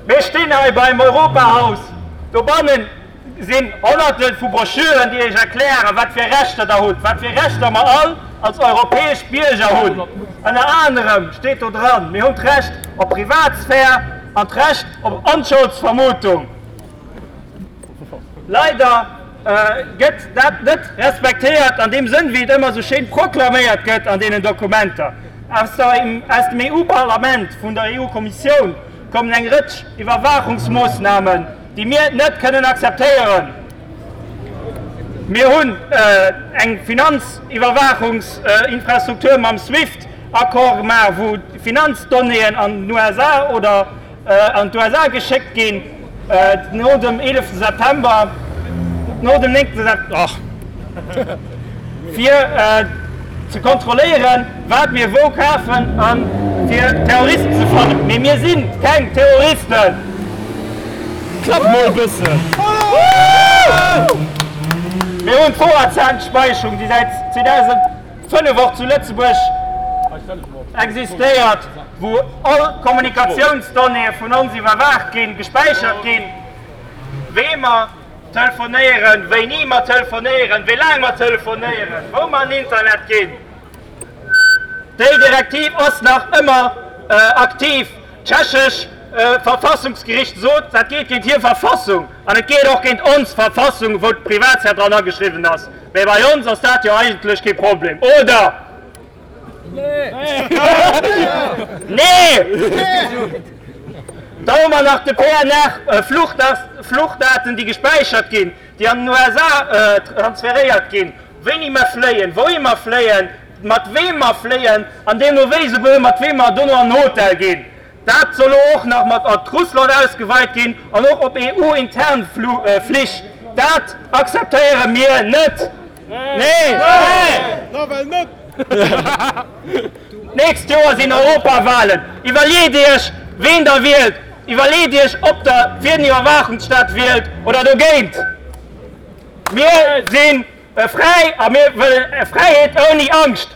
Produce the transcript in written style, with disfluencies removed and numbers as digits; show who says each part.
Speaker 1: Mir stinn hei beim Europahaus. Dobannen sinn Honnerte vu Broschüren, déi Iech erklären, wat fir Rechter Der hutt, wat fir Rechter mer all als europäesch Bierger hunn. Ënner anerem steet do dran, mir hunn d'Recht op Privatsphär an d'Recht op Onscholdsvermutung. Leider gëtt dat net respektéiert an deem Sënn, wéi et ëmmer esou schéin proklaméiert gëtt an deenen Dokumenter. Aus dem EU-Parlament, vun der EU-Kommissioun kommen eng Rëtsch Iwwerwaachungsmoossnamen, déi mir net kënnen akzeptéieren. Mir hunn eng Finanziwwerwaachungsinfrastruktur mam SWIFT-Accord gemaach, wou Finanzdonnéeën an den USA oder an d'USA geschéckt ginn no dem 11 September, no dem 9 September, fir ze kontrolléieren, wat mir wou kafen a fir Terroristen ze fannen. Mee mir si keng Terroristen! Klappt mol e bëssen! Mir hunn d'Vorratsdatenspeicherung, déi säit 2005 och zu Lëtzebuerg existéiert, wou all Kommunikatiounsdonnéeë vun ons iwwerwaacht ginn, gespäichert ginn, wéi mer telefonéieren, wéini mer telefonéieren, wéi laang mer telefonéieren, wou mer an Internet ginn. Déi Direktiv ass nach ëmmer aktiv. D'tschechesch Verfassungsgericht sot, dat geet géint hir Verfassung an et geet och géint ons Verfassung, wou d'Privatsphär dran ageschriwwen ass. Mä bei ons ass dat jo eigentlech kee Problem, oder? Nee! Da hu mer nach de PNR, Fluchdaten, déi gespäichert ginn, déi an den USA transferéiert ginn, wéini mer fléien, wouhi mer fléien, mat weem mer fléien an deemno wéi esouguer mat weem mer dono an den Hotel ginn. Dat soll elo och nach mat op Russland ausgeweit ginn an och op EU-intern Flich. Dat akzeptéiere mir net! Nee!
Speaker 2: Nawell net!
Speaker 1: D'nächst Joer sinn Europawahlen. Iwwerleet Iech, ween Der wielt. Iwwerleet Iech, ob Der fir den Iwwerwaachungsstaat wielt oder dogéint. Mir si fräi a mir wëllen Fräiheet ouni Angscht.